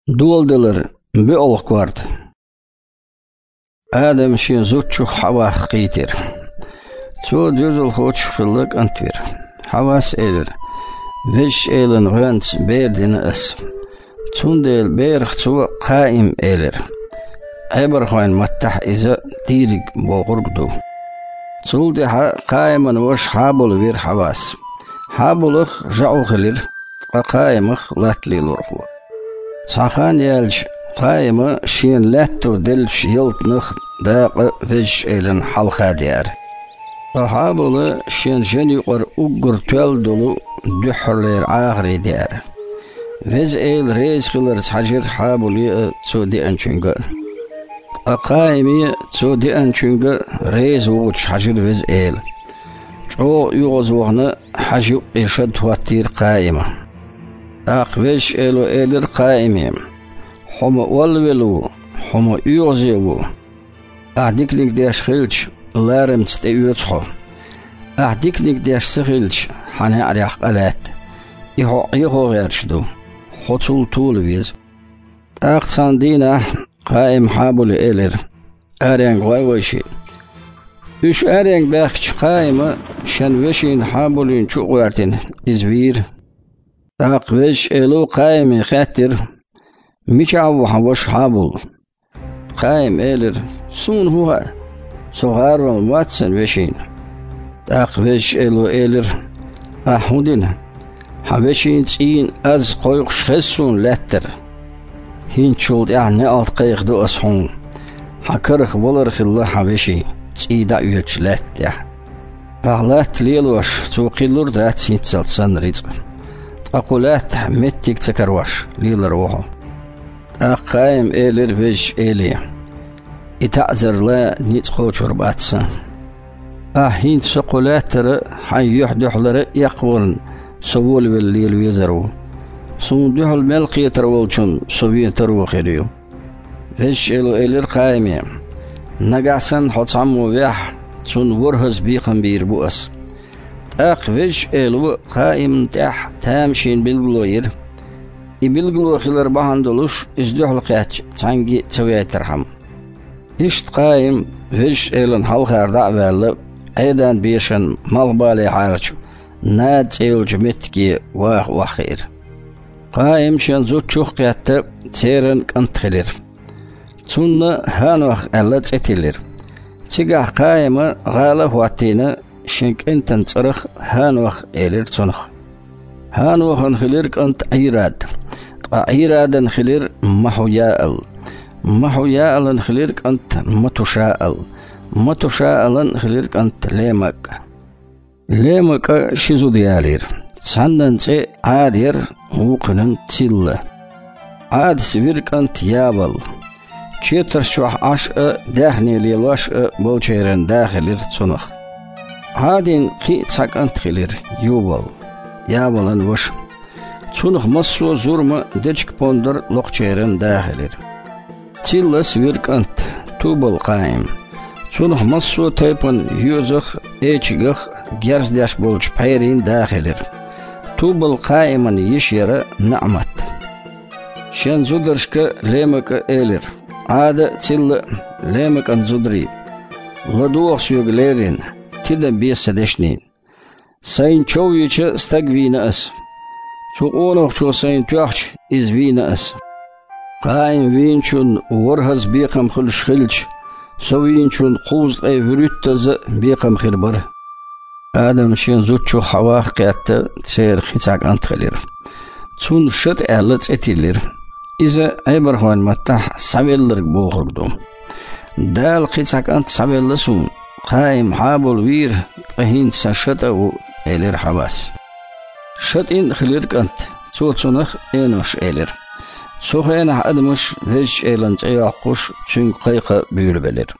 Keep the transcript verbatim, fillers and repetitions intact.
Доладалар, боьалгӀа корта. Адам шен зудчух Хьавах кхийтира. Цо доьзалхочух хилла кӀант вира. Хьавас элира: «Везачу Элан гӀоьнца бер дина ас». Цундела берах цо Къаим элира. Ӏебархойн маттахь иза «дийриг» бохург ду. Цул тӀаьхьа Къаиман ваша Хьабул вира Хьавас. Хьабулах жаӀу хилира, ткъа Къаимах латта лелорхо. Цхьа хан яьлча, Къаима шена лаьтто деллачу ялтанах дакъа Везачу Элана хьалха деара. Ткъа Хьабула шен жен юкъара уггар тоьлла долу дуьххьарлера Ӏахаре деара. Веза Эла реза хиларца хьаьжира Хьабуле а, цо деанчуьнга а. Ткъа Къаиме а, цо деанчуьнга а реза воцуш хьаьжира Веза Эла. ЧӀогӀа оьгӀазвахана, хьажа юккъе шад хӀоттийра Къаима. ТӀаккха Везачу Эло элира Къаиме: «Хьо ма оллавелла ву, хьо ма оьгӀазе ву. Ахь диканиг деш хилча, ларамца тӀеоьцу хьо. Ахь диканиг деш ца хилча, хьан неӀарех къа лаьтта. И хьо Ӏехо гӀерташ ду. Хьо цул тола веза». ТӀаккха цхьана дийнахь Къаима Хьабуле элира: «Аренга гӀой вайшиъ». Уьш аренга баьхкича, Къаима шен вешина Хьабулин чу а гӀоьртина, иза вийра. ТӀаккха Везачу Эло Къаиме хаьттира: «Мичахь ву хьан ваша Хьабул?» Къаима элира: «Суна хӀун хаьа? Со гӀаролла вац сан вешина». ТӀаккха Везачу Эло элира: «Ахь хӀун дина? Хьан вешин цӀийнан аз кхойкхуш хеза суна лаьттара. ХӀинцачул тӀаьхьа неӀалт кхайкхадо ас хьуна. Хьан карах валар хилла хьан вешин, цӀий дӀа а оьцуш лаьтта тӀехь. Ахь латта лелош, цо кхин лур дац хӀинццалц санна рицкъ. Ткъа кху лаьттахь меттиг ца карош, лелар ву хьо». ТӀаккха Къаима элира Везачу Эле: «И таӀзар ла ницкъ кхочур бац сан. Ахь хӀинца со кху лаьттара, хьайн юьхь-дуьхьалара эккхаварна со волавелла лела везар ву. Суна дуьхьал мел кхетар волчунна со вен таро хир ю». Везачу Эло элира Къаиме: «Нагахь санна хьо цхьаммо вехь, цунна ворхӀазза бекхам бийр бу ас». ТӀаккха Везачу Эло Къаимна тӀехь тамашийна билгало йира. И билгало хилар бахьана долуш, иза дуьхьал кхаьчча, цхьаьнгге а ца вейтархьама. Иштта Къаим Везачу Элана хьалхара дӀа а ваьлла, Ӏедан бешан малхбалехьарчу Нада цӀе йолчу меттиге ваха охьахиира. Къаим шен зудчух а кхетта, церан кӀант хилира. Цунна ХӀанох аьлла цӀе тиллира. Цигахь Къаима гӀала а хӀоттийна, шен кӀентан цӀарах ХӀанох элира цунах. ХӀанохан хилира кӀант Ӏийрад, ткъа Ӏийрадан хилира Махьуяал. Махьуяалан хилира кӀант Матушаал, Матушаалан хилира кӀант Лемакъ. Лемакъа ши зуда ялийра. Цхьаннан цӀе Ӏада яра, вукхунан Цилла. Ӏадас вира кӀант Явал. Четарш чохь Ӏаш а, даьхне лелош а болчеран да хилира цунах. Ӏадин кхин а цхьа кӀант хилира, Ювал, Явалан ваша. Цунах массо а зурма, дечиг-пондар локхучеран да хилира. Циллас вира кӀант, Тубал-Къаим. Цунах массо а тайпана йоьзах а, эчигах а герз деш болчу пхьерийн да хилира. Тубал-Къаиман йиша яра Наъмат. Шен зударшка Лемакъа элира: «Ӏада а, Цилла а, Лемакъан зударий, ладогӀа соьга леррина, тидам бе сан дешнийн. Сайна чов йича стаг вийна ас. Цу къонахчо сайна тоьхча, иза вийна ас. Къаим вийначунна ворхӀазза бекхам хуьлуш хилча, со вийначунна кхузткъе вуьрхӀиттазза а бекхам хир бара». Адам шен зудчух Хьавах а кхетта, церан кхин цхьа кӀант хилира. Цунна Шата аьлла цӀе тиллира. Иза Ӏебархойн маттахь «схьавелларг» бохург ду. «Дала кхин цхьа кӀант схьавелла суна. Къаим Хьабул вийра, ткъа хӀинца сан Шата а ву», — элира Хьавас. Шатин а хилира кӀант, цо цунах Энош элира. Цу хенахь адамаш Везачу Элана цӀе йоккхуш, цуьнга кхайкха буьйлабелира.